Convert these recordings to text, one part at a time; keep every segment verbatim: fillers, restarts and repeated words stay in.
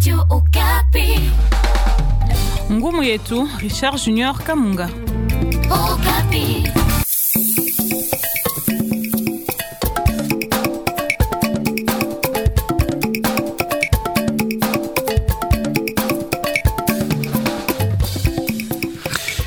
Radio Okapi. Ngumu yetu Richard Junior Kamunga. Okapi.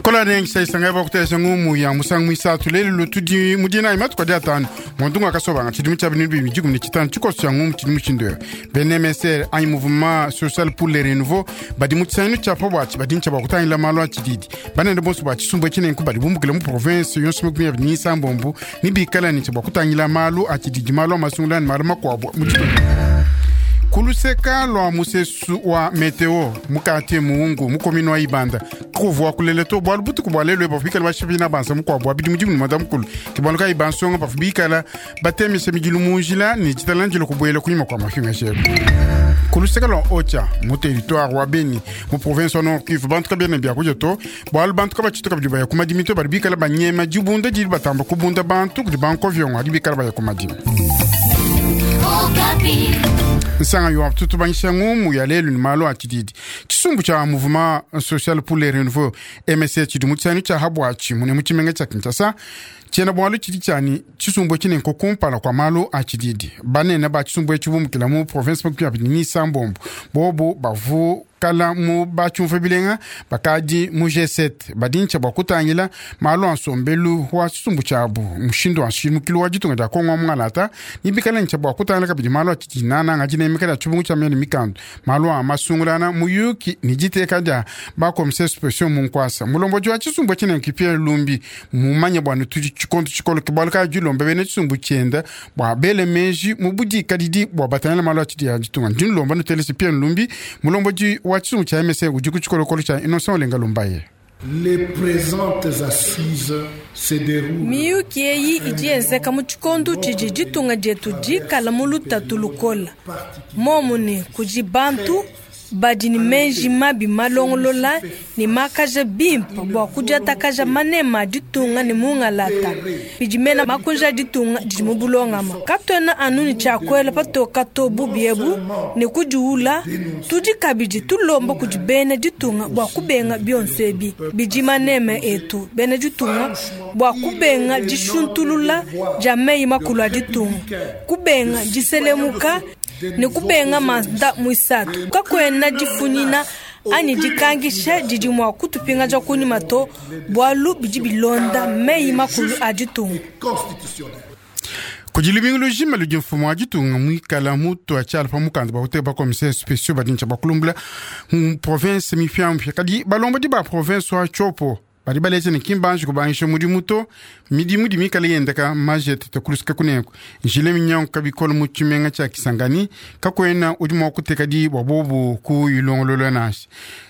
Kola nengisa isanga bakutesa ngumu ya musangu mwisatu lelo lutudi mudina imatu kwa diatano mondunga akasobanga chidimu cha bintu bibiri jikumi chitano chikoso cha ngumu chidimu chindoyo B N M S R anyi mouvement social pour le renouveau badi mu chisanyu cha pobwachi badi ncha bakutangila malo achididi banende bonso ba chisumbu chinenku badi bumbukile mu province yonso makumi abiri ni isambombo nibikala nincha bakutangila malo achididi malo amasungulani malo makwabo mu chitundu. Kuluseka lwa musesu wa meteo mukati muungu mukomino wa ibanda kuvua kulele to bwalu butuku bwa lelo bafika bashibina bansa mukwabo abidi mudimu madamu kulu kibaluka ibansonga bafubikala batemise mijilu munjila ni chitalanjilo kubwela kunyuma kwa mafinga shelo. Kuluseka lwa Ocha mu territoire wa Beni mu province wa Nord Kivu bantu kabena bya kuja to bwalu bantu kabachituka bidi baya kumadimi to bali bikala banyema jibunda jili batamba kubunda bantu kudi banko vyongo adi bikala baya kumadimi. Okapi. Nsanga yo tutu banyisha ngumu ya lelo ni malo achididi chisumbu cha mouvement social pour le renouveau M S C chidimu chanu cha habwachi mune muchimenga cha Kinshasa chena bwalo chidi chani chisumbu chine nkokumpala kwa malo achididi banene ba chisumbu chibumukila mu province makumi abiri ni isambombo bobo bavu kala mu bachumfa bilenga bakadi mu G sept badincha bakutangila malo ansombelu wa chisumbu chabu mushindo wa shimukilo wa jitunga ja Kongo mwanata nibikala ncha bakutangila kabidi malo achidinana ngajine mikala chubungu cha mene mikando malo amasungulana muyuki nijiteka ja ba commissaire spécial mu nkwasa mulombo wa chisumbu chine nkipia lumbi mumanya bwana tuji chikonto chikolo kibalika julombe bene chisumbu chenda bwa bele meji mubudi kadidi bwa batangila malo achidi ya jitunga ndinlomba nutelesi pia lumbi mulombo wa chisumbu cha M S ujiku chikolokolo cha Innocent Olenga Lumbaye. Les présentes assises se déroulent. Miyuki eyi idi yenzeka mu tshikondo tshidi ditunga dietu dikala mu lutatu lukola. Momu ne kudi bantu badi ne meji mabi malongolola ne makaja bimpe bua kudiatakaja manema a ditunga ne mungalata. Bidi mena makunja a ditunga didi mu bulongama. Katuena anu ne tshiakuela patoka to bubi ebu ne kudiula, tudi kabidi tulomba kudi bena ditunga bua kubenga bionso ebi. Bidi manema etu bena ditunga bua kubenga dishuntulula dia meyi makulu a ditunga, kubenga diselemuka ne kubenga manda mwisatu. Kakuena difunyina anyi dikangisha didi mua kutupingaja kunyima to bualu bidi bilonda meyi makulu a ditunga. Kudi lubingu lujima ludi mfumu wa ditunga muikala mutu atshiala pa mukanda bakuteka ba commissaire spéciaux badintsha bakulumbula mu province mipiamupia kadi balombodi ba province wa Tshopo badi baletse ne kimbanji kubangisha mudimu to midimu di mikala yendeka majete tekulusika kunenku njile minyangu kabikolo mu tshimenga tshia Kisangani kakuena udi mua kuteka di bua bobu ku ilongolola nashi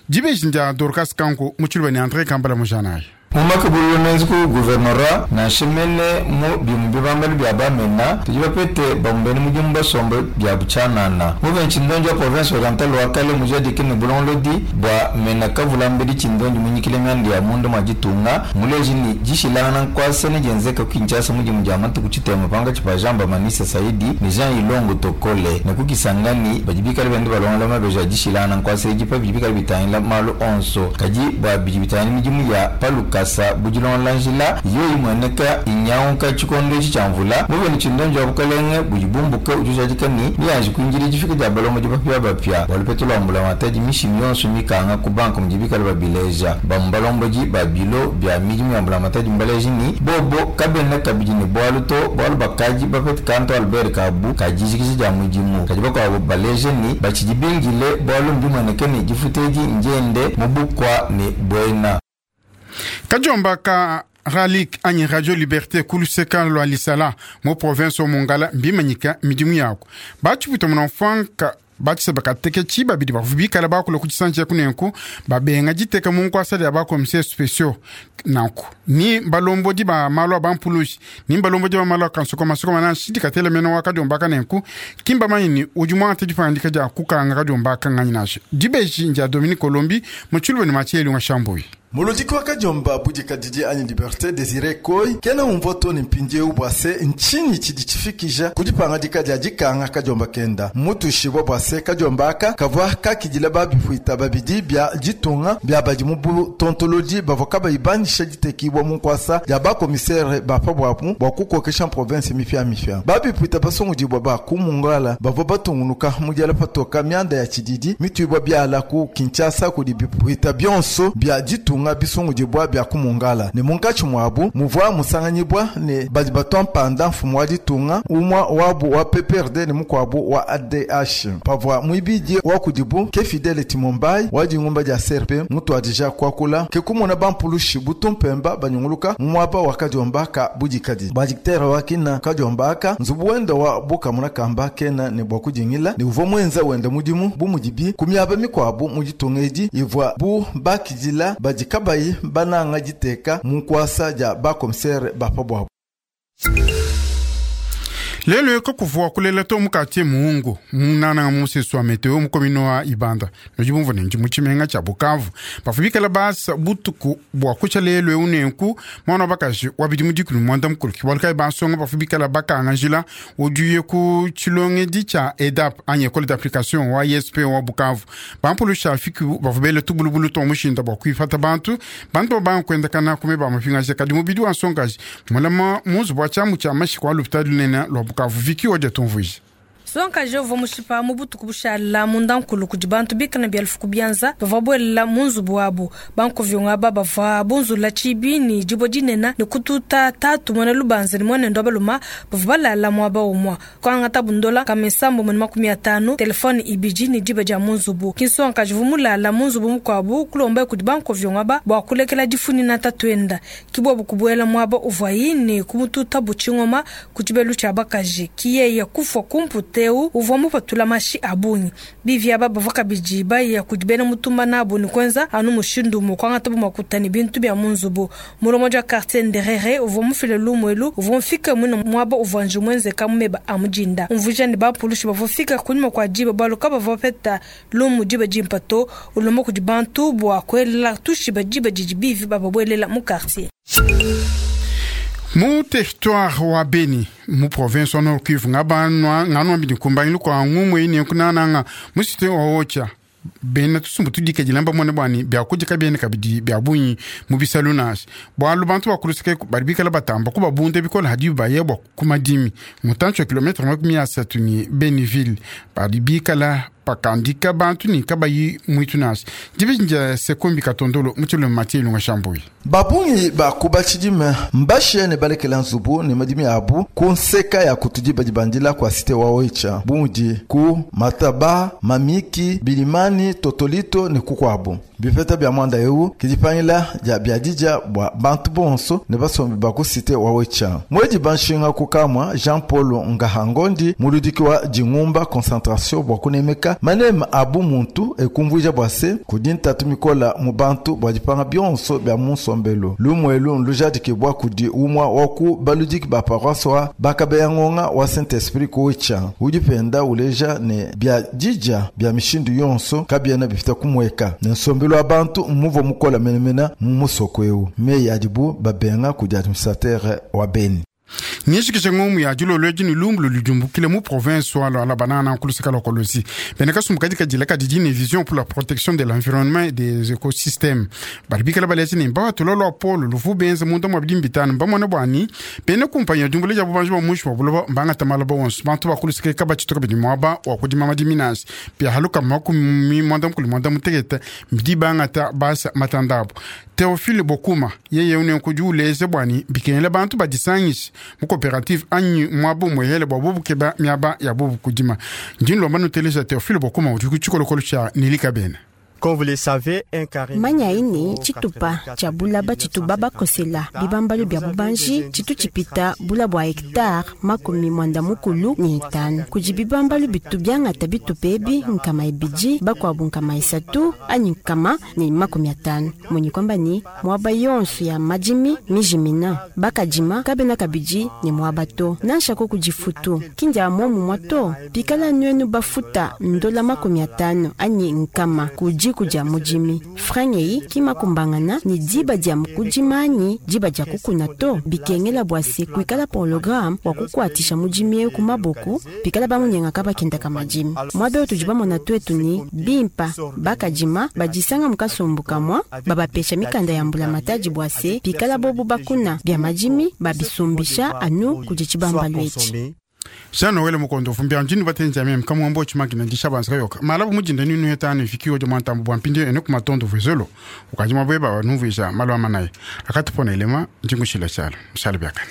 dibeji ndia Dorcas Kanku mu tshiluba ne André Kambala mujanayi. Mumakabulula menzi ku guvernora na shimene mu bimu bibambalo bya bamena tudi bapete bamumbene mudimu basombe bya butshanana muve ntshindonji wa province orientale wa kale mujadike ne bulongolodi bua mena kavulambeli tshindonji munyikile mianda ya mundu mwa ditunga muleji ni dishilangana nkuasa ne dienzeka ku Kinshasa mudimu dia matuku tshitema panga tshipa Jean Bamanisa Saidi ne Jean Ilongo Tokole ne ku Kisangani badi bikale bende balongola mabeji a dishilangana nkuasa edi pa bidi bikale bitangila malu onso kadi bua bidi bitangila midimu ya paluka sa bujilon lanjila yoyi mweneka inyaunka chikondo ichi cha mvula muveni chindonji wa bukalenge bujibumbuka ujujadika ni miyanji kuinjili jifika dia balomo jibapya bapya walupetula mbula mataji mishimi yonso mikanga ku banka mujibikala babileja bamubalomboji babilo bya midimu ya mbula mataji mbaleji ni bobo kabena kabidi ne bwalu to bwalu bakaji bapete kanto Albert Kabu kajijikiji dia mudimu kaji bakwabo baleje ni bachijibingile bwalu mbimweneke ni jifuteji njende mubukwa ni bwena. Kajomba ka Ralik anyi Radio Liberté kuluseka lwa Lisala mo province Mongala mbimanyika midimu yako bachiputa munamfanka bachisa bakateke chiba bidi bavubikala bakula ku chisanji kunenku babenga jiteka mu nkwasa dia ba commissaire spéciaux nanku ni balombodi ba malo ba mpulushi ni balombodi ba malo kansoko masoko mana shidi katele meno wa kadiomba kanenku kimba manyi udi mwante dipandika dia kukanga kadiomba kanganya nasho dibeji ndia Dominique Colombi muchulwe ni macheli wa Shambui. Muludiki wa kadiomba budikadidi anyi Liberté Désiré Koi kena umvua to ne mpindieu bua se ntshinyi tshidi tshifikisha ku dipangadika dia dikanga kadiomba kenda mmutuishibua bua se kadiomba aka kavua kakidila babipuita babidi bia ditunga bia badi mu butontolodi bavua kabayi banyisha ditekibua mu nkuasa dia bakomisere ba pa buabu bua kukokesha province mipiamipia. Babipuita basungudibua ba ku Mongala bavua batungunuka mu diala patoka mianda ya tshididi mituibua biala ku Kinshasa kudi bipuita bionso bia ditunga bisungudibua bia ku Mongala ne munkatshi muabu muvua musanganyibua ne badi batua mpanda mfumu wa ditunga umua wabu wa P P R D ne mukuabu wa A D H. Pavua muibidi wa kudibu ke Fidele Timombai wa dingumba dia C R P mutuadija kuakula ke kumona bampulushi butumpemba banyunguluka mu muaba wa kadiomba ka budikadidi. Badiktere wa kina kadiomba aka nzubu wenda wa bukamuna kamba kena ne bua kudingila ne uvua muenza wenda mudimu bu mudibi ku miaba mikuabu mu ditunga edi ivua bu bakidila badi kabayi bananga diteka mu nkuasa dia bakomisere ba pa buabu. Lelo kakuvua kulela to mukati muungu munana musesu wa meteo mukomino wa Ibanda nojibumva nenji mutshimenga tshia Bukavu bafubikala basa butuku bua kutsha lelo eu nenku mwana bakaji wabidi mudikulu mwanda mukulu kibaluka basonga bafubikala bakanga njila udiye ku tshilongedi tshia EDAP anyi école d'application wa I S P wa Bukavu bampulusha fiki bafubele tubulubulu to mushinda bua kuifata bantu bantu bankwendakana kume ba mapingaje kadi mubidi wa nsongaji mulama muzu bua tshiamu tshia mashiko wa lupitali lunene lwa Bukavu viki waja tumvuije. Sonka jovo mushipa mubutuku bushala mundankulu kudi bantu bikana bya lufuku byanza bava bwelela munzubu wabo bankovyonga baba va bunzula chibi ni jibo dinena ni kututa tatu mwana lubanza ni mwana ndo baluma bava balala mwaba umwa kwanga tabundola kamesambo mwana makumi atano telefone ibiji ni jiba ja munzubu kinsonka jovo mulala munzubu mukwabu kulomba kudi bankovyonga ba bwa kulekela difuni na tatwenda kibobu kubwela mwaba uvwayi ni kumututa buchingoma kujibelu cha bakaji kiye kufwa kumpute uvwa mupatula mashi abunyi bivya baba vakabiji baya kujibena mutumba nabo ni kwenza anu mushindu mukwanga tabu makutani bintu bya munzubu mulomo ja quartier nderere uvwa mufile lumwelu uvwa mfika mwino mwaba uvwa njumwenze kamumeba amujinda umvuja ni bapulushi bavofika kunyuma kwa jiba baluka bavopeta lumu jiba jimpato ulomo kujibantu bwa kwelela tushiba jiba jijibivi bababwelela mu quartier. Mu territoire wa Beni mu province wa Nord Kivu ngabanwa nganwa bidi kumbanyi kwa ngumwe ine kunananga mu cité wa Ocha bena tusumbu tudike jilamba mwana bwani bya kujika bene kabidi bya bunyi mu bisalunas bwalu bantu bakulusike baribikala batamba kuba bunde bikola hadi bayebwa kumadimi mutancho kilometre makumi asatu ni Beniville baribikala pakandika bantu ni kabayi mwitunasi dibinja sekombi katondolo mutilo matie lunga shambui babungi bakuba tshidime mbashe ne balekela nzubu ne madimi abu ku nseka ya kutudi badibandila kwa site wa Oicha bumudi ku mataba mamiki bilimani totolito ne kukwabu bipeta bya mwanda eu kidipangila dia biadija bwa bantu bonso ne basombi ba ku site wa Oicha mwedi banshinga kukamwa Jean Paul Ngahangondi muludiki wa dingumba concentration bwa kunemeka manema abu muntu ekumvuija bwa se kudi ntatu mikola mu bantu bwa dipanga bionso bya munsombelo lumwelu nlujadiki bwa kudi umwa waku baludiki ba paroisse wa bakabeya ngonga wa Saint Esprit ku Oicha udi penda uleja ne bya dija bya mishindu yonso kabiena bifita kumweka ne nsombelo wa bantu muvo mukola menemena mu musoko eu meyi adibu babenga kudi administrateur wa Beni. Nishikishe ngomu ya julo lweji ni lumbu lujumbukile mu province wa la banana nkulusika lokolosi. Beneka sumukadi kajila kadidi ni vision pour la protection de l'environnement et des écosystèmes. Baribikala balezi ni mbawa tulolo apolo lufu benze mundu mwabidi mbitano mbamwana bwani. Bene kumpanya jumbule jabu banju wa mwishu wa buloba mbanga tamala ba wonsu. Bantu bakulusika kabachitoka bidi mwaba wa kudima madiminasi. Pia haluka makumi mwanda mkuli mwanda mutegeta mbidi banga ta basa matandabu. Teofile Bokuma yeye une kujuleze bwani bikenele bantu badisangishe mu coopérative anyi mwabo mwehele bwa bubukeba miaba ya bubu kudima ndin lomba nuteleza Teofile Bokuma udi kuchikolokolo cha nilika bena. Manya ini tshitupa tshia bulaba tshituba bakosela bibambalu bya bubanji tshitu tshipita bula bua hectare makumi mwanda mukulu ni itanu kudi bibambalu bitu byangata bitupa ebi nkama ibidi bakuabu nkama isatu anyi nkama ni makumi atanu munyi kwamba ni mwaba yonso ya madimi mijimina bakadima kabena kabidi ni mwaba to nanshako kudifutu kindia momu mwa to pikala nwenu bafuta ndola makumi atanu anyi nkama kudi diku dia mudimi. Franga eyi ki makumbangana ne diba dia kudima anyi diba dia kukuna to. Bikengela bua se kuikala programme wa kukuatisha mudimi eu ku maboko pikala bamunyengaka bakendaka madimi. Muaba eu tudi bamona tuetu ni bimpa bakadima badisanga mu kasumbu kamua babapesha mikanda ya mbulamatadi bua se pikala bobo bakuna bia madimi babisumbisha anu kudi tshibambalu etshi. Jean Noel Mukondo fumbia njini batenja meme kama mbo chimakina ndisha banza yoka malabu mujinda ninu hetani fikiyo jo mwantambo bwa mpindi ene kumatondo vezolo ukaji mabweba wanumvisha malo amanaye akatupona elema njingushila shala mshala byakana.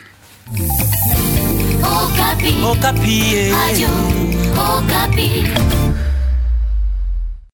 Okapi. Okapi. Radio Okapi.